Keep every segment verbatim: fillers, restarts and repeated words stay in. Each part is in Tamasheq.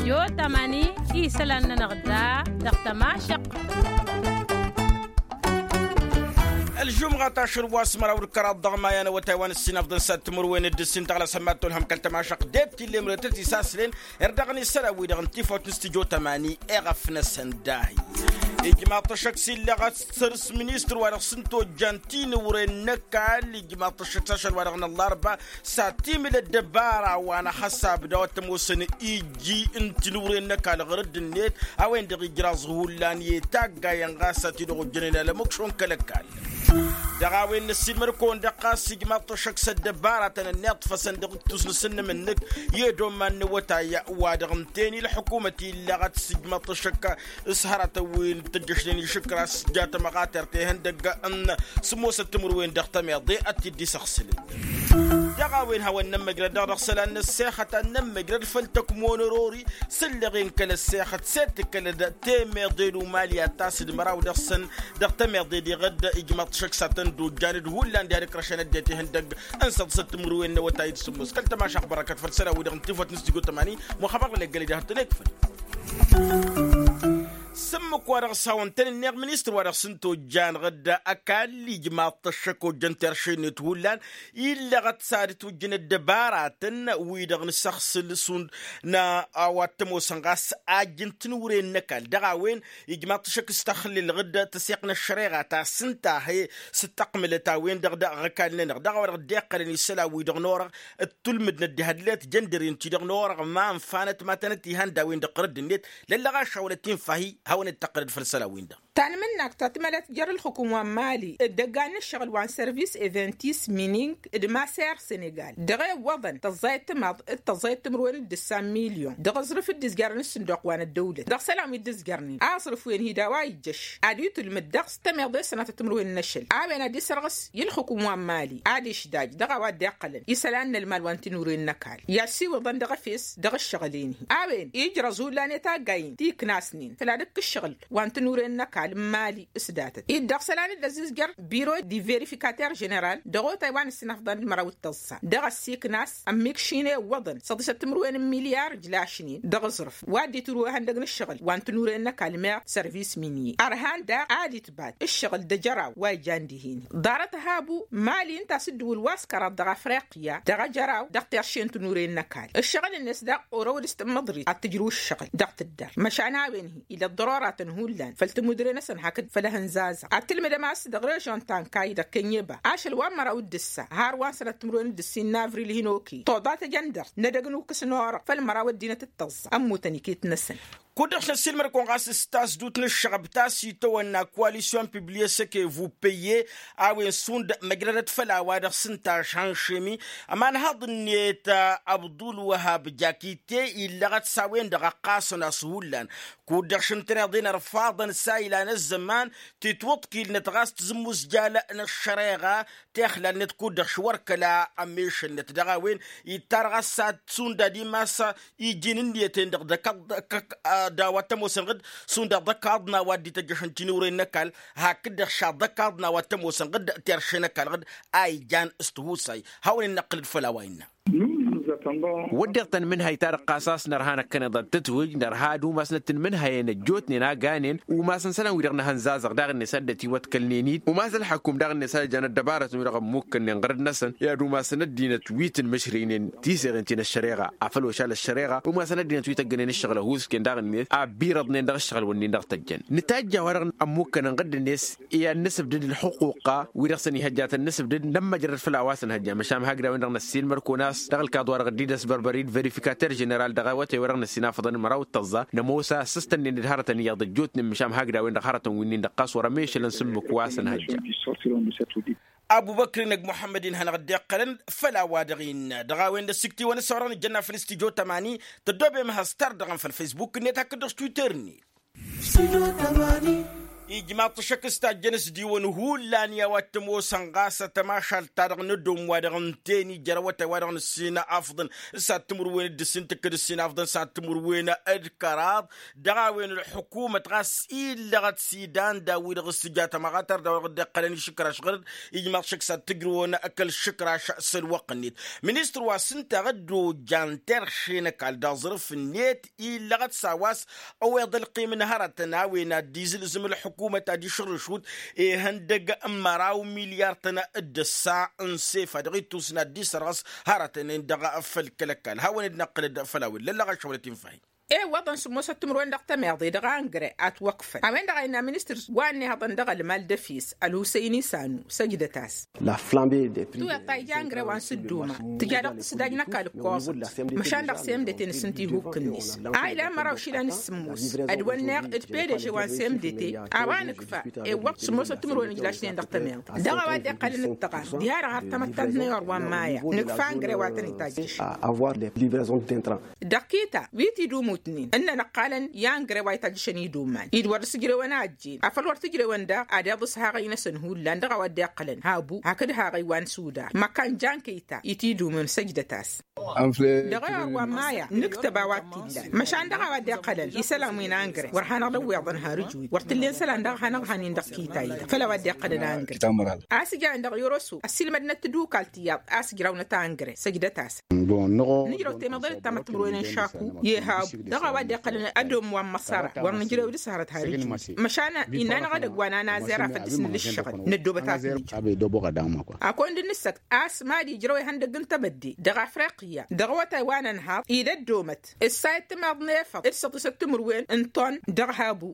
Studio tamani isălan-nănăɣ da dăɣ-tămašăq. Ălžumɣa tašăl wa s-măraw d-kăraḍ dăɣ-maya n-awătay wa n-ǝssin afḍăn s-ad-timǝrwen d-ǝssin tăɣla s-ămmat tolhăm kăl-tămašăq det tillem rătăt isaslen. Erdăɣ n-isălan wi-dăɣ n-tifawt n-studio tamani eɣăf-năsăn dahi. Ijmaḍ-t ăššăk s-illeɣ ad-săr s-ministăr wa dăɣ-s n-tojjan tinǝwren n-ăkall ijmaḍ-t ăššăk s-ašăl wa dăɣ-năllarba s-ad-timǝl ăddăbara wa n-ahăsab d-a-wa t-ămoosăn iji n-tinǝwren n-ăkall ɣur-dd-net a-wen-dăɣ ijraẓ hullan i-taggayăn ɣas a t-dd-ojjănen alămukšon kăl-ăkall. Dăɣ-a-wen n-ăssiilmăd-kăwăn-dăɣ ɣas ijmaḍ-t ăššăk s-ăddăbaratăn ănniḍfăsăn dăɣ-ǝttus n-asǝnnǝm-năk i-ădoman n-awătay wa dăɣ-ǝnten i-ălḥukumăt illăɣăt s-ijmaḍ-t ăššăk s-hărătăn wi n-tăjjăšnen išǝkraš s-jatămăɣater tehăndăgg n-sǝmmosăt timǝrwen dăɣ-tămiḍe ad-t-dd-isăɣsǝlăn. Dăɣ-a-wen hawăn-nămmăjrăd dăɣ-dăɣ isălan n-ăssexăt ad-nămmăjrăd făll-tăkmon ărori s-ǝlleɣen kăl-ăssexăt s-e-d tǝkkălăd temeḍe n-umali ad-tasǝd măraw dăɣ-săn dăɣ-temeḍe deɣ dd-ijmăḍ šăkk s-ad-tăn-dd-ojjan d-hullan diha d-ǝkrăšăn ăddinăt ihăndăgg n-săḍsăt timǝrwen n-awătay d-sǝmmos kăl-tămašăɣt bărăkăt făll-isălan-wi-dăɣ n-tifăt n-studio tămani. Muxăbăr lănegăl-i diha d-tăn-ekfăl s-ǝmmǝk wa dăɣ-s hawăn-tăn-ǝnneɣ ministăr wa dăɣ-s n-tojjan ɣǝdda ăkall ijmaḍ-t ăššăk ojjăn terše-net hullan illăɣăt s-ad-ǝtwǝjjǝn ăddăbaratăn-wi-dăɣ n-isăɣsǝl šund n-a-wa t-ămoosăn ɣas ajj n-tinǝwren n-ăkall dăɣ-a-wen ijmaḍ-t ăššăk s-tăxlǝl ɣǝdda tăseɣt n-ăššăreɣa ta s-ǝnta a he-s dd-tăqmǝlăt a-wen-dăɣ dăɣ-ăkall-nănăɣ dăɣ-a-wa dăɣ-dd-iqqălăn isălan-wi-dăɣ n-orăɣ d-tulmǝdnăt diha d-let jăndăren-ti-dăɣ n-orăɣ ma ǝnfanăt ma tănăt-ihănda a-wen-dăɣ ɣur-dd-net lăllăɣ ašăwălăt infa-hi hawăn-dd-tăqqălăd făll-isălan-win-dăɣ. Tanmǝnnak ta tǝmălăt jer-ǝlxǝkǝm wa n-mali d-ăggan n-ǝššăɣǝl wa n-sărvis eventis mining d-maser senegal dăɣ-e ǝwwăḍăn tăẓẓayăt timaḍ d-tăẓẓayăt timǝrwen d-ǝssa n-milyon dăɣ-aẓrǝf dd-izjărăn s-sǝnduq wa n-ăddăwlăt dăɣ-isălan wi dd-ǝzjărnen aẓrǝf-wen-hi d-a-wa ijjăš ad-itǝlmǝd dăɣ-s tămiḍe sănatăt timǝrwen n-ašăl a-wen ad-isărɣǝs i-ǝlxǝkǝm wa n-mali ad-išdaj dăɣ-a-wa dd-iqqălăn isălan n-ălmal wa n-tinure n-ăkall i-assiwǝḍăn dăɣ-efes dăɣ-ǝššăɣǝl-en-hi a-wen ijrăẓ hullan i-taggay-in ti ǝknasnen făll-ad-ǝkkǝššăɣǝl wa n-tinure n-ăkall n-mali s-datăt-dd dăɣ-isălan dd-ăzzizjăr biro d-iverifikater ženeral dăɣ-otay wa n-ǝssin afḍăn d-măraw d-tăẓẓa dăɣ-ăssiiknas ămmikšin i-iwwăḍăn săḍisăt timǝrwen n-milyar ǝjlašnen dăɣ-aẓrǝf wa dd-itǝru ihăndăg n-ǝššăɣǝl wa n-tinure n-ăkall meɣ sărvis minye ărhan daɣ ad-itbat ǝššăɣǝl d-ejăraw wa ijan dihen-hi ḍarăt habu mali ǝnta a-s ǝddǝwǝl wa s-kăraḍ dăɣ-afriqya dăɣ-ejăraw dăɣ-terše n-tinure n-ăkall ǝššăɣǝl-net daɣ orăwăd s-tǝmmăḍrit ad-tǝjrǝw ǝššăɣǝl dăɣ-tǝddăr măšan a-wen-hi ila ăḍḍărora-tăn hullan făll-timudre-năsăn hakd făll-ehǝnzazăɣ ad-tǝlmǝdăm a-s dăɣ-režon tankay dăɣ-kenyeba ašăl wa n-măraw d-ǝssa har wa n-sănăt timǝrwen d-ǝssin n-avril hin-okăy toḍa tejăndărt n-edăgg n-ukǝs n-orăɣ făll-măraw ăddinăt d-tăẓẓa ămmutăn iket-năsăn. Kud-dăɣ šăssilmăr-kăwăn ɣas s-tasdut n-ǝššăɣăb ta s-itawănna koalisyon pibliye săke vupeye a-wen šund măjrădăt făll-a-wa-dăɣ s-ǝnta ašănšemi ămanhăḍ-net abdulwăhab jakite illăɣăt s-a-wen-dăɣ ăqqasăn a-s hullan kud-dăɣ šǝntăneḍ-in ărfaḍăn s-a ilan ăzzăman titwǝḍkilnăt ɣas tǝzǝmmuzjal n-ăššăreɣa tixlal-net kud-dăɣ š-wăr kăla ămmešălnăt dăɣ-a-wen ittar ɣas ad-šund ad-imas iji n-ǝnniyăt-en-dăɣ d-ăkkaḍ d-a-wa t-ămoosăn ɣǝd šund ad-ăkkaḍ n-a-wa dd-ităjjăšăn tinǝwre n-ăkall hakd-dăɣ šaḍ ăkkaḍ n-a-wa t-ămoosăn ɣǝd terše n-ăkall ɣǝd a ijan s-tihusay hawăn-in-năqqǝlăd făll-a-wa innă. Wădden tăn-mǝnhăy-ta-dăɣ ɣas a-s nărha năkkăneḍ ad-tǝtwǝj nărha ad-umasnăt n-imǝnhăyăn ăjjootnen a ganen umasăn isălan-wi-dăɣ n-ehăn zazăɣ daɣ-net ad-dd-ătiwăḍkălnen-dd umas ălxăkum daɣ-net ad-ăjjan ăddăbarătăn-wi-dăɣ ămmukkănnen ɣărăt-năsăn i-ad-umasăn ăddinăt wi tǝnmǝšrǝynen tiseɣen ti n-ăššăreɣa afăl ošal ăššăreɣa umasăn ăddinăt wi tăggănen ǝššăɣǝl ăhuusken daɣ-net a ăbbirăḍnen dăɣ-ǝššăɣǝl-wǝnnin dăɣ-tăjjăn nǝtajj a-wa-dăɣ ămmukkănăn ɣǝdd-net i-ad-nǝsǝbdǝd ǝlxǝquqa wi-dăɣ săn ihăjjatăn nǝsǝbdǝd nămmăjrăd făll-a-wa s-ănhăjja măšan hakd a-wen-dăɣ năssiilmăr-kăwăn a-s dăɣ-ălkaḍ-wa-dăɣ dd-idăs bărbăr-dd verifikater ženeral dăɣ-awătay-wa-dăɣ năssinafăḍăn măraw d-tăẓẓa nămoos a ăssăstănnen d-hărătăn iyyăḍ ăjjootnen măšan hakd a-wen-dăɣ hărătăn wi-nin-dăɣ ɣas wăr ămešălăn s-ǝmmǝk wa s-ănhăjja. Abubăkr-in ăgg muḥămmăd-in hanăɣ-dd-iqqălăn făll-a-wa-dăɣ innă dăɣ-a-wen d-ăssiktǝy wa n-ăssăwărăn ǝjjănna făll-studyo tămani tăddoobem has-tardăɣăn făll-facebook-net hakd-dăɣ s-twitter-net. Studio tămani. Ijmaḍ-t ăššăk s-tajjăn s-diwăn hullan i-a-wa t-ămoosăn ɣas tămašalt-ta-dăɣ n-ădom wa-dăɣ ǝnta-en ija ărăwătay wa-dăɣ n-ǝssin afḍăn s-ad-timǝrwen d-ǝssin tǝkkǝd ǝssin afḍăn s-ad-timǝrwen d-kăraḍ. Dăɣ-a-wen ălḥukumăt ɣas illăɣăt s-idan daw-wi-dăɣ s-tǝja tămaɣatăr daw-dăɣ dd-iqqălăn išǝkraš ɣăr-dd. Ijmaḍ-t šăkk s-ad-tǝjrǝwăn kăl-išǝkraš s-ălwăqq-net. Ministăr wa s-ǝnta a ăddojjan terše n-ăkall d-aẓrǝf-net illăɣăt s-a-wa s-ăweḍ ălqim n-hărătăn a-wen ad-izǝlzǝm ălḥukumăt ad-išǝrrǝšut ihăndăg n-măraw milyar-tăn d-ǝssa n-sefa dăɣ-ittus n-ad-dd-isărɣǝs hărătăn-en-dăɣ. Făll-kăl-ăkall hawăn-dd-năqqǝlăd făll-a-wen lăllăɣ ašăwălăt infahin. Iwwăḍăn sǝmmosăt timǝrwen dăɣ-tămeḍe dăɣ-angre a ǝtwăkfăn a-wen-dăɣ a innă ministăr wa ănnihăḍăn dăɣ-ălmal d-efes ălhusăyni sanu săjdăt-as. Tuwăḍ ta ija angre wa n-sǝdduma tǝja dăɣ-tǝsdaj n-ăkall ǝkkoẓăt. Măšan dăɣ-semdete n-asǝnt ihukk-net a ilan măraw išilan d-sǝmmos ădwănneɣ d-pedeže wa n-semdete a-wa nǝkfa. Iwwăḍ sǝmmosăt timǝrwen ǝjlašnen dăɣ-tămeḍe dăɣ-a-wa dd-iqqălăn d-tăɣan diha-dăɣ har tamăttant n-ayɣăr wa n-maya nǝkfa angre wa tăn-itajjăš. Dăɣ-kita wi t-idumutnen ǝnnăn ǝqqalăn i-angre wa itajjăšăn iduman-i d-wăr dăr-s ǝjrewăn a ăjjeen afăl wăr t-ǝjrewăn daɣ ad-iḍǝs haɣăy-năsăn hullan dăɣ-a-wa dd-iqqălăn habu hakd haɣăy wa n-sudar măkkan jankăy-ta i-t-idumǝn săjdăt-as. Dăɣ-ayɣăr wa n-maya nǝktăb a-wa t-illan măšan dăɣ-a-wa dd-iqqălăn isălan wi n-angre wăr hanăɣ-dd-ăwweḍăn har ǝjwǝy wăr t-ǝllen isălan daɣ hanăɣ-han-in dăɣ-kita-i-dăɣ făll-a-wa dd-iqqălăn angre. A-s ǝjrăwăn dăɣ-i oroso ăssiilmădnăt tadukalt iyyăḍ a-s ǝjrawnăt angre săjdăt-asăn. Nǝjrăw temăḍe d-tamătmǝrwen n-šaku i-habu dăɣ-a-wa dd-iqqălăn ădom wa n-măṣăra wăr nǝjrew d-s hărăt har ǝjwǝy. Măšan innă-năɣ edăgg wa n-anazer a făl dăr-s nǝlǝššăɣăl năddoobăt a-s nǝjrăw. Akăwăn-dd nǝssăkt a-s mad-ijrăw ihăndăgg n-tebădde dăɣ-afriqya dăɣ-awătay wa n-ănhaḍ-i d-ăddoomăt ǝssayăt timaḍ n-efăḍ d-săḍisăt timǝrwen n-ton dăɣ-habu.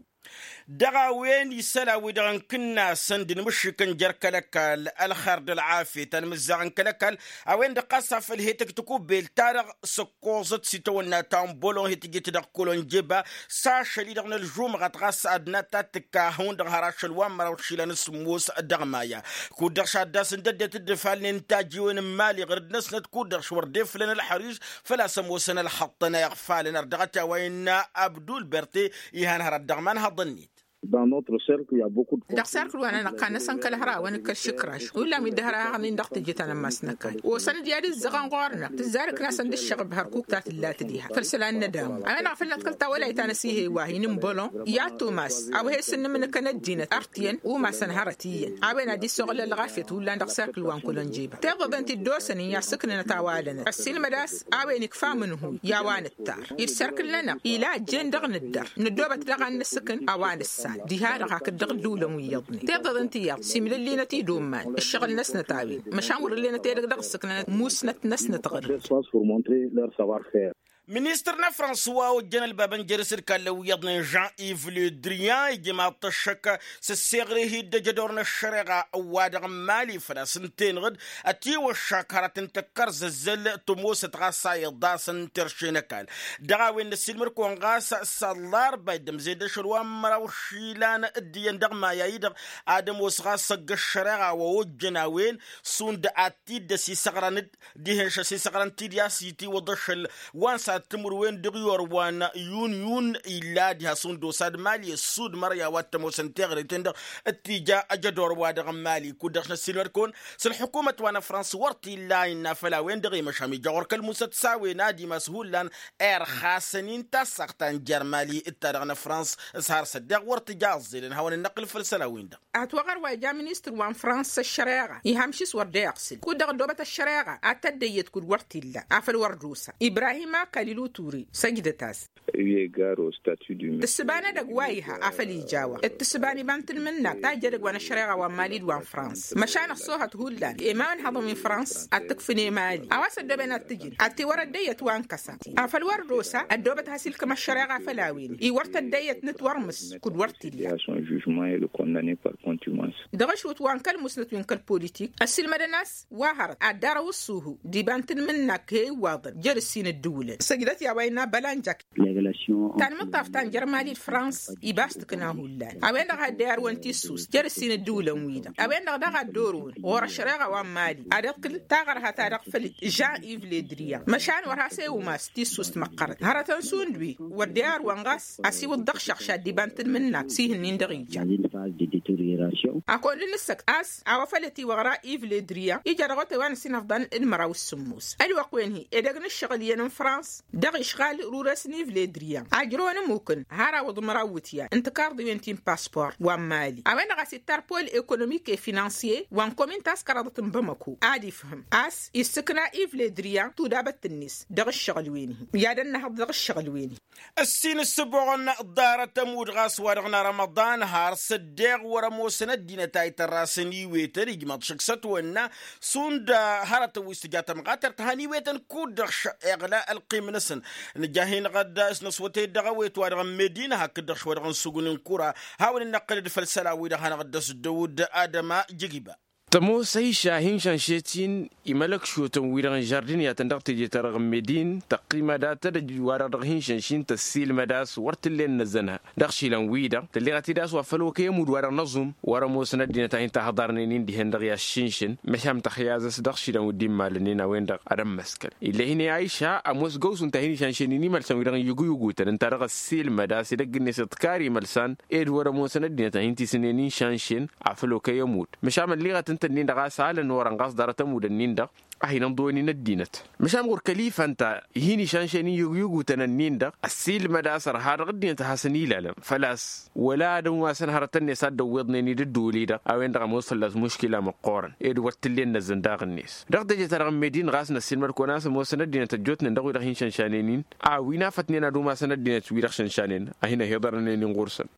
Dăɣ-a-wen isălan-wi-dăɣ n-kǝnnasăn d-inmǝššǝkăn jer-kăl-ăkall ălxer d-ălɣafyăt anmǝzzaɣ n-kăl-ăkall a-wen-dăɣ ɣas afăl he-tǝktǝk ubbel-ta-dăɣ s-ǝkkoẓăt s-itawănna ta n-bolon he-tǝjǝt dăɣ-kolonjeba s-ašăl-i-dăɣ n-ălžumɣăt ɣas ad-nat ta t-tǝkka hawăn-dăɣ har ašăl wa n-măraw išilan s-sǝmmos. Dăɣ-maya kud-dăɣ šaddas ǝndăddet dd-ǝfalnen tajiwen n-imali ɣǝr-dd-năsnăt kud-dăɣ š-wăr dd-eflăn ălxăriž făl-a-s ămoosăn ălxăṭṭăn a iɣfalăn ar dăɣ-t i-a-wa innă abdulberte. Ihăn hărăt dăɣ-iman hăḍăn-net. Dăɣ-serkǝl wa n-anăqqan-năsăn kăl-hărawăn d-kăl-išǝkraš hullan wi dd-hărăɣnen dăɣ-tijǝt anămmas n-ăkall osăn-dd i-ad-ǝzzăɣăn ɣur-năɣ tǝzzarǝk-năsăn d-ǝššăɣb hărkuk ta tǝlla tǝdiha făll-isălan n-ădamu a-wen-dăɣ a făl năḍkăl tawălayt ta n-asihey wa hin-ǝnbălon i-ad-tumas a-wa he-sǝnnǝmnǝkăn ăddinăt ărtǝyăn umasăn hărăt iyyăn. A-wen ad-dd-isoɣǝl ălɣafyăt hullan dăɣ-serkǝl wa n-kolănjeba tiḍăḍen ti dd-osăn-in i-ad-sǝknǝnăt a-wa lănăt ăssiilmăd a-s a-wen ikfa amǝnhǝy i-a-wa nǝttar-i d-serkǝl-nănăɣ ila ăjjeen dăɣ-nǝddăr năddoobăt daɣ ad-nǝssǝkǝn a-wa nǝssan. Diha-dăɣ hakd dăɣ-ǝddǝwǝlăn wi iyyăḍnen tiḍăḍen ti iyyăḍ simǝlǝllinăt idumman ǝššăɣǝl-năsnăt a-wen măšan wăr-ǝllenăt edăgg dăɣ-ǝssǝknănăt musnăt-năsnăt ɣǝr-dd. Ministăr n-afrans wa ojjăn ălbabăn jer-s d-kallăn wi iyyăḍnen jean iv ledrian ijmaḍ-t ăššăk s-ăsseɣre hi-dd ăjădor n-ăššăreɣa wa-dăɣ n-mali făl-a-s ǝnta-enăɣ-dd ătiwăššak hărăt n-tăkkărzăzzăl tămoosăt ɣas a iḍasăn terše n-ăkall. Dăɣ-a-wen năssiilmăd-kăwăn ɣas s-ăllarba iddămze-dd ašăl wa n-măraw išilan d-iyyăn dăɣ-maya-i-dăɣ ad-ămoos ɣas ăgg-ăššăreɣa wa ojjăn a-wen šund ad-t-dd-ăsisăɣrăn-dd dihen šăsisăɣrăn tidǝya s-itiwăḍ ašăl wa n-sad timǝrwen dăɣ-iwăr wa n-yun yun illa diha šund osa d-mali ăssud mărya wa t-ămoosăn teɣre-ten-dăɣ t-ija ăjădor wa dăɣ-mali kud-dăɣ s-năssiilmăd-kăwăn s-ălḥukumăt wa n-afrans wăr t-illa innă făll-a-wen-dăɣ i-măšam ija ɣur-kăl-musăt s-a-wen ad-imas hullan irxasăn-in tassaɣt ta n-jer-mali d-ta-dăɣ n-afrans s-har s-ăddeɣ wăr tǝja ăẓẓelăn hawăn-dd-năqqǝl făll-isălan-win-dăɣ. Ătwăɣăr wa ija ministăr wa n-fransa ăššăreɣa iham šis wăr dd-eɣsǝl kud-dăɣ ăddoobăt ăššăreɣa ad-tăddăyyăt kud-wăr t-illa afăl wăr d-osa ibrahima kaliluture. Săjdăt-as. Tǝssǝba n-edăgg wa iha afăl ija-wa d-tǝssǝba n-iba n-tanmǝnnakt ta ija edăgg wa n-ăššăreɣa wa n-mali d-wa n-fransa măšan ăṣṣoohăt hullan i-imaw n-haḍăn wi n-fransa ad-t-ǝkfǝn i-mali a-wa s-ăddooben ad-t-ǝjǝn ad-t-iwăr ăddăyyăt wa n-kăsa. Afăl wăr d-osa ăddoobăt has-ilkăm ăššăreɣa făll-a-wen-i wăr tăddăyyăt n-ǝtwărmǝs kud-wăr t-illa. Dăɣ-ašwǝt wa n-kăl-musnăt wi n-kăl-politik ăssiilmădăn a-s wa hărăt ad-dd-arăw ǝṣṣuhu d-iba n-tanmǝnnakt he-iwwaḍăn jer-ǝssin ǝddǝwǝlăn. Tǝjdăt i-a-wa innă bălanjak. Tanmǝṭṭaf ta n-jăr mali d-frans ibas tǝkna hullan a-wen-dăɣ a dd-iyarwăn tissust jer-ǝssin ǝddǝwǝlăn-wi-dăɣ a-wen-dăɣ daɣ a dd-orăwăn ɣur-ăššăreɣa wa n-mali ad-ăḍkǝl taɣărha-ta-dăɣ făll-jean iv ledriya măšan wăr has-e-umas tissust măqqărăt hărătăn šund wi wăr dd-iyarwăn ɣas asiwǝḍ dăɣ-šăɣš ad-dd-iba n-tǝdmǝnna s-ihǝnnin-dăɣ ija. Akăwăn-dd-nǝssăkt a-s a-wa făl ătiwăɣra iv ledriya ija dăɣ-otay wa n-ăsinăfḍan d-măraw s-sǝmmos ălwăqq-wen-hi edăgg n-ǝššăɣǝl iyyăn n-frans dăɣ-išɣal rures n-ivledriya ajrăwăn ămukǝn har awǝḍ măraw wǝtyan n-tǝkarḍiwen ti n-pasport wa n-mali a-wen-dăɣ a-s ittar pol ekonomik e-finansiye wa n-komin ta s-kăraḍăt n-bamako ad-ifhǝm a-s issǝkna ivledriya tudabăt-net dăɣ-ǝššăɣǝl-wen-hi i-ad-ănnăhăḍ dăɣ-ǝššăɣǝl-wen-hi. Ǝssin ǝssǝboɣăn ḍarăt ămudd ɣas wa dăɣ-nărămăḍan har s-ăddeɣ wăr-ămoosăn ăddinăt a itărrasăn iwetăn ijmăḍ šăkk s-ătwănna šund hărătăn wi s-tǝja tămɣatărt han iwetăn kud-dăɣ š-iɣla ălqim-năsăn. Nǝja hin-dăɣ dd-asnăswătăy dăɣ-ewet wa dăɣ-n medina hakd-dăɣ šwa dăɣ-n sugǝn n-kura. Hawăn-dd-năqqǝlăd făll-isălan-wi-dăɣ hanăɣ-dd-ăsdăwăd adăma jăgiba. Tămoos ăyša hin-šanšet-in imălăk šotăn-wi-dăɣ n-žardin i-ad-tăn dăɣ-teje-ta-dăɣ n-medin tăqqimăd ad-tădăj wa-dăɣ dăɣ-hin-šanšin tăssiilmăd a-s wăr t-ǝllen năzzănha dăɣ-išilan-wi-dăɣ tălleɣăt-dd a-s wa făl okăy ămudd wa dăɣ-năẓum wăr-ămoosăn ăddinăt a hin-tahăḍarnen-in dihen-dăɣ i-aššinšǝn. Măšan tăxyaz a-s dăɣ-išilan wi dd-immalănnen a-wen-dăɣ ad-ămmăskăl ill'-e hin-e ayša ămoos găwsǝn ta hin-išanšen-in imălsan-wi-dăɣ n-yugyugutăn ǝnta dăɣ-ăssiilmăd a-s edăgg-net iḍkar imălsan ed wăr-ămoosăn ăddinăt a hin-tisǝnnen inšanšen afăl okăy ămudd măšan mălliɣăt ǝnta-nin-dăɣ a-s alăn orăn ɣas ḍarăt ămudd-ǝnnin-dăɣ a hin-ǝnḍǝwăn-in ăddinăt. Măšan ɣur-kălifa ǝnta i-hin-išanšen-in yugyugutăn-ǝnnin-dăɣ ăssiilmăd a-s ărha dăɣ-ăddinăt a hasăn-ilalăn făl-a-s wăla ad-ănwasăn hărătăn-net a dd-ăwwiḍnen-dd ădduul-i-dăɣ a-wen-dăɣ ămoos fălla-s muškila măqqoorăn ed wăr t-ǝllen năzzăn daɣ-net. Dăɣ-teje-ta-dăɣ n-medin ɣas năssiilmăd kăwăn-as ămoosăn ăddinăt ăjjootnen dăɣ-wi-dăɣ hin-išanšanen-in a-wi n-afătnen ad-umasăn ăddinăt wi-dăɣ šanšanen a hin-ăhiḍărnen-in ɣur-săn.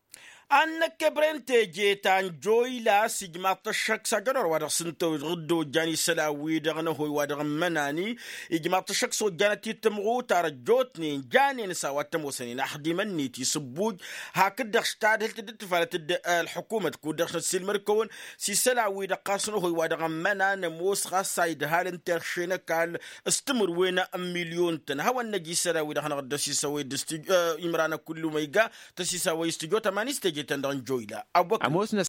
Ad-năkk ebre n-teje ta n-joyla s-ijmaḍ-t ăššăk s-ajădor wa dăɣ-s ǝntăwăj dd-ojjan isălan-wi-dăɣ n-ehăy wa dăɣ-n mănani. Ijmaḍ-t ăššăk s-ojjanăt-dd tǝmɣutar ăjjootnen janen s-a-wa t-ămoosănen axdimăn-net isǝbbuj hakd-dăɣ s-tadhǝlt dd-tifalăt dd-ălḥukumăt kud-dăɣ s-năssiilmăd-kăwăn s-isălan-wi-dăɣ ɣas n-ehăy wa dăɣ-n mănan ămoos ɣas a idhalăn terše n-ăkall s-timǝrwen n-milyon-tăn hawăn-năj isălan-wi-dăɣ hanăɣ-dd-ăsisăwăy d-imran ăkullu ma iga tăsisawăy s-tijot ămani s-teje-tăn-dăɣ n-joyla. Ămoosnăt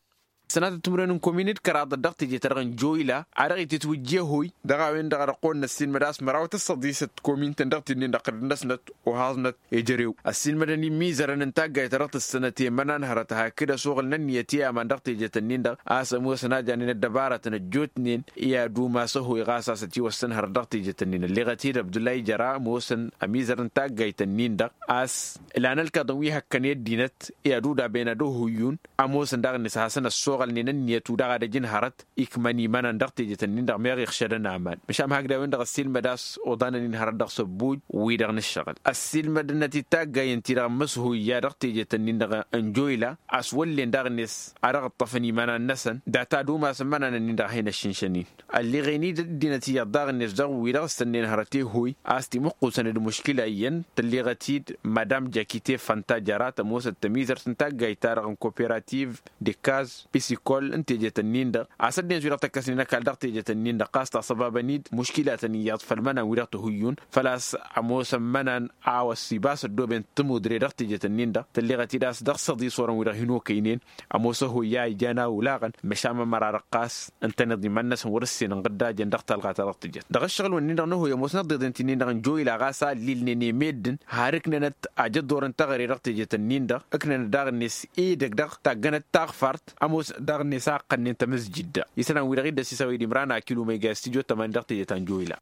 sănatăt timǝrwen n-komin d-kăraḍăt dăɣ-teje-ta-dăɣ n-joyla a dăɣ-ititwǝjje ehăy dăɣ-a-wen-dăɣ ad-ăqqoon năssiilmăd a-s măraw tăssăḍisăt komin-tăn dăɣ-tidnin dăɣ-tădănnăsnăt ohaẓnăt ejărew ăssiilmădăn imizărăn n-taggayt ta dăɣ-tǝssănăt i-imănan hărăt hakd ăsoɣǝl n-ǝnniyăt i-aman dăɣ-tejet-ǝnnin-dăɣ a-s ămoosăn a janen ăddăbarătăn ăjjootnen i-ad-umas ehăy ɣas a-s ătiwăssăn hărăt dăɣ-tejet-ǝnnin ălleɣăt-dd abdullah ijăra ămoosăn ămizărăn n-taggayt-ǝnnin-dăɣ a-s ǝlan ălkaḍăn wi hăkkăn i-ăddinăt i-ad-udaben ad-ohuyyun ămoosăn daɣ-net a hasăn-ăssoɣălnen ǝnniyăt-wi-dăɣ ad-ăjǝn hărăt ikmăn imănan dăɣ-tejet-ǝnnin-dăɣ meɣ iɣšădăn aman măšan hakd a-wen-dăɣ ăssiilmăd a-s oḍanăn-in hărăt dăɣ-săbbuj wi-dăɣ n-ǝššăɣǝl ăssiilmădănăt-dd taggayen-ti-dăɣ n-imǝshuyya dăɣ-tejet-ǝnnin-dăɣ n-joyla a-s wăllen daɣ-net a dăɣ-ǝṭṭăfăn imănan-năsăn data d-umasăn imănan-ǝnnin-dăɣ a hin-ăššǝnšăn-in ălleɣen-dd ăddinăt iyyăḍ daɣ-net dăɣ-wi-dăɣ ǝssănnen hărăt ehăy a-s timǝqqusăn d-muškila iyyăn tălleɣăt-dd madam jakite fanta jăra tămoosăt tămizărt n-taggayt-ta-dăɣ n-koperativ d-ikkaz pisikol n-tejet-ǝnnin-dăɣ a-s ăddinăt wi-dăɣ tăkkăsnen ăkall dăɣ-tejet-ǝnnin-dăɣ ɣas taṣăbabăn-dd muškilatăn iyyăḍ făll-imănan wi-dăɣ tăhuyyun făl-a-s ămoosăn imănan a-wa s-ibas ăddooben timudre dăɣ-tejet-ǝnnin-dăɣ tălleɣăt-dd a-s dăɣ-săḍis orăn wi-dăɣ hin-okăynen ămoos ehăy a ijan a ulaɣăn măšan mămăra-dăɣ ɣas ǝntăneḍ iman-năsăn wăr-ǝssin ǝnɣǝddajăn dăɣ-talɣa-ta-dăɣ tǝjăt dăɣ-ǝššăɣǝl-wen-nin-dăɣ n-ehăy ămoosnăt ḍeḍen ti-nin-dăɣ n-joyla ɣas a ǝllilnen i-meddǝn har ǝknănăt ajăḍḍor n-teɣăre dăɣ-tejet-ǝnnin-dăɣ ǝknănăt daɣ-net edăgg dăɣ-taggănăt taɣfart ămoosnăt daɣ-net a ǝqqănnen tămǝzjǝd-dăɣ isălan-wi-dăɣ i dd-ăsisăwăy d-imran akilu ma iga i-studyo tămani dăɣ-tejet ta n-joyla.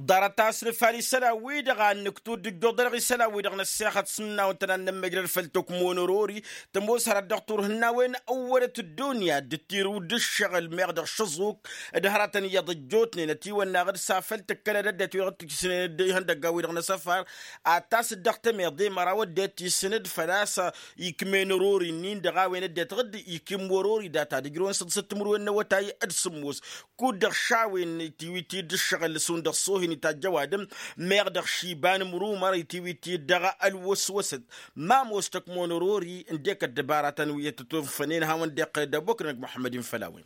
Ḍarăt-as nǝfal isălan-wi-dăɣ a n-nǝktu d-ǝjjuḍ-dăɣ isălan-wi-dăɣ năssexăt s-imnaw ǝntănan n-ămmăjrăd făll-tokmonorori tămoos hărăt dăɣ-turhǝnnawen ăwwălăt ăddunya d-tirǝw d-ǝššăɣǝl meɣ dăɣ-šăẓuk d-hărătăn iyyăḍ ăjjootnen ătiwănnaɣ d-safăl tǝkkălăd ăddinăt wi-dăɣ tǝjjǝsnen d-ihăndăggan-wi-dăɣ n-asăfar ad-tasǝt dăɣ-temeḍe măraw ăddinăt isǝnǝd făl-a-s ikmen ărori-nin-dăɣ a-wen ăddinăt dd-ikim wăr-ori data d-ǝjrăwăn săḍisăt timǝrwen n-awătay d-sǝmmos kud-dăɣ šawen itiwit-dd ǝššăɣǝl šund ăṣṣoh-in itajj ăwadǝm meɣ dăɣ-šiba n-imrumăr itiwit-dd dăɣ-ălwăswăsăt ma ămoos tăkmonărori ǝndek ăddăbaratăn wi ăttătofănen hawăn-dd-iqqălăd ăboknăg muḥămmăd-in făll-a-wen.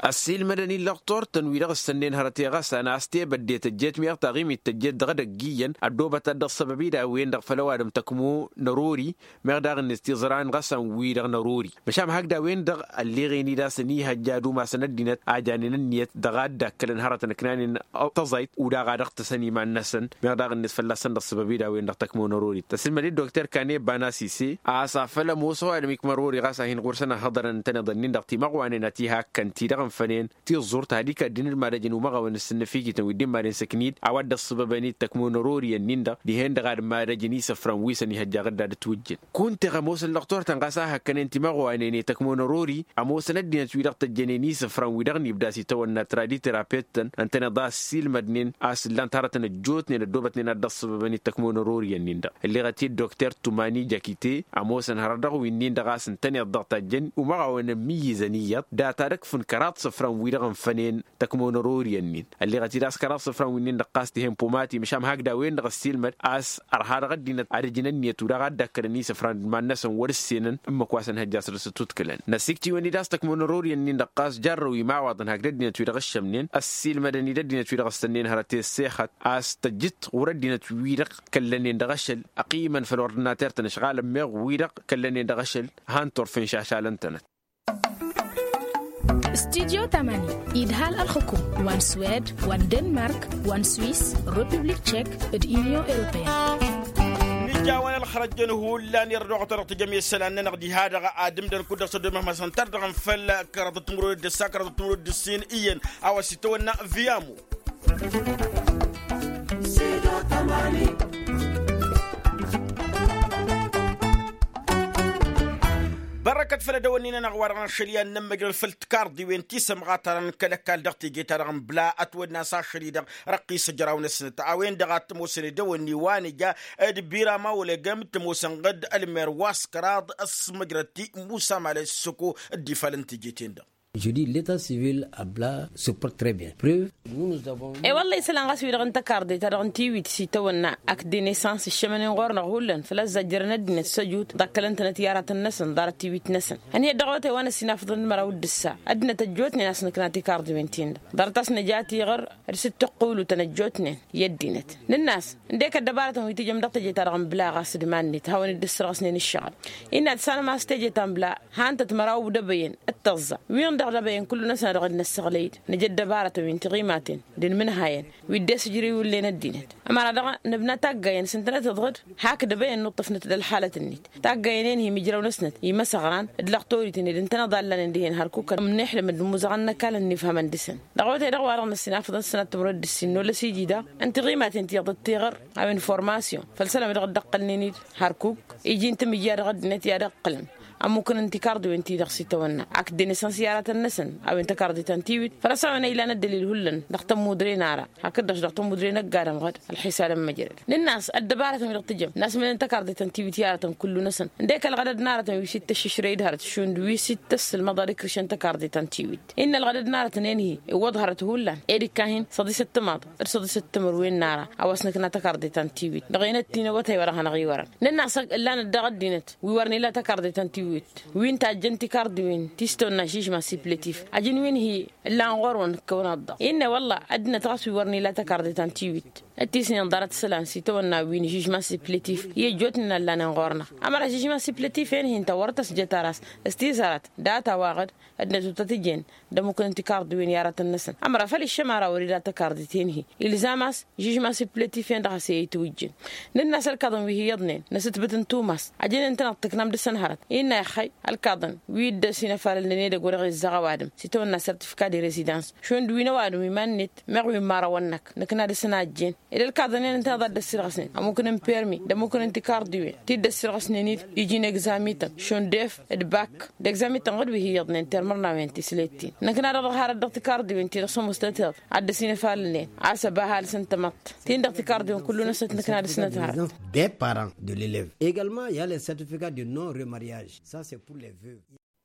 Ăssiilmădăn-in lăqtor-tăn wi-dăɣ ǝssănnen hărăt i-ɣas a n-a-s tebădde tăjjeet meɣ taɣimit tăjjeet dăɣ-edăgg iyyăn ăddoobăt ad-dd-ăṣṣăbăb-i d-a-wen-dăɣ făll-ăwadǝm tăkmo n-ărori. Meɣ daɣ-net tiẓra n-ɣas a n-wi-dăɣ n-ărori măšan hakd a-wen-dăɣ ălleɣen-dd a-s ănihăjja ad-umasăn ăddinăt a janen ǝnniyăt dăɣ-a dd-akkălăn hărătăn ǝknanen tăẓayt u-daɣ a dăɣ-tăsăn iman-năsăn. Meɣ daɣ-net fălla-săn d-ăṣṣăbăb-i d-a-wen-dăɣ tăkmo n-ărori tăssilmăd-dd dokter kane bana sise a-s afăl ămoos ăwadǝm ikmă ărori ɣas a hin-ɣur-săn ăhhăḍărăn ǝntăneḍ-ǝnnin-dăɣ timăɣwanen a t-ihakkan ti-dăɣ ǝnfănen tiẓẓurt ad-ikad-dd inǝdmadăjăn umăɣawăn s-sǝnnăfikităn wi dd-immaden s-ǝknid a-wa dd-ăṣṣăbăbăn-dd tăkmo n-ărori ănnin-dăɣ dihen-dăɣ ad-immadăjăn isǝfran wi s-ănihăjja ɣǝdda d-ătwǝjjǝn. Kunta eɣ ămoosăn lăqtor-tăn ɣas a hăkkănen timăɣwanen i-tăkmo n-ărori ămoosăn ăddinăt wi-dăɣ tăjjănen isǝfran wi-dăɣ n-ibda s-itawănna traditerapettăn ǝntăneḍ a ăssiilmădnen a-s ǝllan-t hărătăn ăjjootnen ăddoobătnen ad-dd-ăṣṣăbăbăn-dd tăkmo n-ărori ănnin-dăɣ. Ǝlleɣăt-dd dokter tumani jakite ămoosăn hărăt dăɣ-winnin-dăɣ a-s ǝntăneḍ-dăɣ tajjăn umăɣawăn ămmiyyǝzăn iyyăḍ data d-ǝkfǝn kăraḍ isǝfran wi-dăɣ ǝnfănen tăkmo n-ărori ănnin. Ălleɣăt-dd a-s kăraḍ isǝfran winnin-dăɣ ɣas tihăn pumatim măšan hakd a-wen-dăɣ ăssiilmăd a-s ărha dăɣ-ăddinăt ad-ǝjǝn ǝnniyăt u-daɣ a dd-ăkkălăn isǝfran d-iman-năsăn wăr-ǝssenăn ǝmmǝk wa s-ănhăjja a săr-s ătutǝklăn. Năsiktǝyăn-dd a-s tăkmo n-ărori ănnin-dăɣ ɣas jarrăw imawaḍăn hakd ăddinăt wi-dăɣ ǝššămnen ăssiilmădăn-dd ăddinăt wi-dăɣ ǝssănnen hărăt i-ăssexăt a-s tăjjǝt ɣur-ăddinăt wi-dăɣ kăllănen dăɣ-ašăl ăqqimăn făll-ordinater-tăn ǝšɣalăn meɣ wi-dăɣ kăllănen dăɣ-ašăl. Han turfen šašalăn-tănăt. Studyo tamani idhal ălxukum wa n-swed wa n-denmark wa n-swiss, republik tchek, d-union europeen. Nǝjawăn ălxărăjjăn hullan irădoɣăt dăɣ-tijăm i-isălan-nănăɣ diha-dăɣ ad-ǝmdăn kud-dăɣ s-ăddomăhmăsăn tar dăɣ-nfăl kăraḍăt timǝrwen d-ǝssa kăraḍăt timǝrwen d-ǝssin iyyăn a-wa s-itawănna viyamu. Bărrăkăt făll-edăwănni-nănăɣ wa dăɣ-năšăl i-ad-nămmăjrăd făll-tikarḍiwen ti sămɣatarăn kăl-ăkall dăɣ-teje-ta-dăɣ n-bla ătwănna s-ašăl-i-dăɣ răqqis ăjraw-năsnăt a-wen-dăɣ a t-ămoosăn edăwănni wa nǝja d-birama wăla egăm t-ămoosăn ɣǝd ălmer wa s-kăraḍ s-măjrăd ti musa male s-săko. D-ifalăn teje-ten-dăɣ. Jodi leta sivil abla suport tre bien preuv. E-wălla isălan ɣas wi-dăɣ n-takarḍe-ta-dăɣ n-tiwit s-itawănna ak denesans ǝššămănen ɣur-năɣ hullan făl-ăzzajjărăn ăddinăt s-ăjut ḍakkălăn-tănăt i-aratăn-năsăn ḍarăt tiwit-năsăn. Ănhăyăt dăɣ-awătay wa n-ăssinafăḍăn d-măraw d-ǝssa ăddinăt ăjjootnen a-s nǝkna tikarḍiwen-tin-dăɣ ḍarăt a-s nǝja tiɣăr d-sǝttǝqqulutăn ăjjootnen i-ăddinăt. Nǝnn'-as ǝndek ăddăbarătăn wi tǝjăm dăɣ-teje-ta-dăɣ n-bla ɣas d-iman-net hawăn-dd-ǝssărɣăsnen ǝššăɣǝl. Innă ad-sanăm a-s teje ta n-bla han-tăt măraw d-ebăyăn d-tăẓẓa wi-dăɣ d-ebăyăn kullu-năsăn a dăɣ-dd-năssăɣlăy-dd nǝja ăddăbarătăn wi n-tiɣimaten d-inmǝnhayăn wi dd-esǝjrǝy wǝllen ăddinăt. Ămăra daɣ nǝbna taggayăn s-ǝntănăt iḍɣǝd hakd ebăyăn nuṭṭăfnăt d-ălxalăt-net. Taggayăn-en-hi imǝjraw-năsnăt imăsăɣran d-lăqtorităn ed ǝntăneḍ a ǝllanen dihen hărkukăn ămnixlăm d-imuzăɣăn n-ăkall ănnifhămăn dăɣ-săn. Dăɣ-awătay-dăɣ wa dăɣ-năssinafăḍăn s-sănat timǝrwen d-ǝssin n-olăs iji daɣ n-tiɣimaten ti iḍǝttăɣăr a-wen formasyon făll-isălan wi dăɣ-dd-ăqqălnen-dd hărkuk iji n-tamǝjja dăɣ-ăddinăt i-ad-ăqqǝlăn ămmukăn n-tikarḍiwen-ti-dăɣ s-itawănna ak dd-enesăns i-aratăn-năsăn a-wen takarḍe ta n-tiwit făl-a-s a-wen a ilan ăddălil hullan dăɣ-tămmudre n-ara hakd-dăɣ dăɣ-tămmudre n-ăgg-adǝm ɣǝd ălxisalăn măjrăd. Nǝnn'-as ăddăbarătăn wi dăɣ-tǝjăm n-asmănen takarḍe ta n-tiwit i-aratăn kullu-năsăn ǝndek ălɣădăd n-aratăn wi s-ittăššǝšrăy d-hărăt šund wi s-ittăssǝlmăḍ ad-ikrǝšăn takarḍe ta n-tiwit. Innă ălɣădăd n-aratăn-en-hi iwwăḍ hărăt hullan ed ikka-hin săḍisăt timaḍ d-săḍisăt timǝrwen n-ara a-wa s-nǝkna takarḍe ta n-tiwit dăɣ-enăt ti n-awătay wa dăɣ-hanăɣ-iwărăn. Nǝnn'-as ǝllanăt daɣ ăddinăt wi wăr nila takarḍe ta n-tiwit wi n-tajjăn tikarḍiwen ti s-tăwănna žijma siplătif ajăn wi n-hi ǝllan ɣur-wăn ǝkkăwăn aḍḍaɣ. Innă wălla ăddinăt ɣas wi wăr nila takarḍe ta n-tiwit ăttisnen ḍarăt isălan s-itawănna wi n-žijma siplătif i-ăjjootnen a ǝllanen ɣur-năɣ. Ămăra žijma siplătif-en-hi ǝnta wăr tăsjăt ara s-tizarăt data-wa-ɣǝd ăddinăt wăr tăt-ǝjen d-ămmukăn n-tikarḍiwen i-aratăn-năsăn ămăra făl iššăm ara wăr-ila takarḍe-ten-hi ilzam a-s žijma siplătif-en-dăɣ a-s i-itwǝjjǝn. Nǝnn'-as ălkaḍăn wi hi-iyyăḍnen năsǝtbǝt n-tumas ajăn ǝntăneḍ tǝknam dăɣ-săn hărăt innă ixxăy ălkaḍăn wi dd-ăsinăfalălnen edăgg wa dăɣ-izzăɣ ăwadǝm s-itawănna sertifika de rezidans šund wi n-ăwadǝm iman-net meɣ wi n-imărawăn-năk nǝkna dăɣ-săn a ǝjjen ed ălkaḍăn-en ǝntăneḍ a dd-ăssirɣăsnen ămmukăn n-permi d-ămmukăn n-tikarḍiwen ti dd-ăssirɣăsnen-dd iji n-egzamităn šund ef d-bak d-egzamităn ɣǝd wi hi-iyyăḍnen termărnawen tislet-in nǝkna-dăɣ dăɣ-harăt dăɣ-tikarḍiwen ti dăɣ-sămoos tătăḍ ad-dd-ăsinăfalălnen a-s ăba ăhalǝs n-tamăḍt tin-dăɣ tikarḍiwen kullu-năsnăt nǝkna dăɣ-snăt harăt. Des parents de l'elève également il y a les certificats de non remariage ça c'est pour les veuves.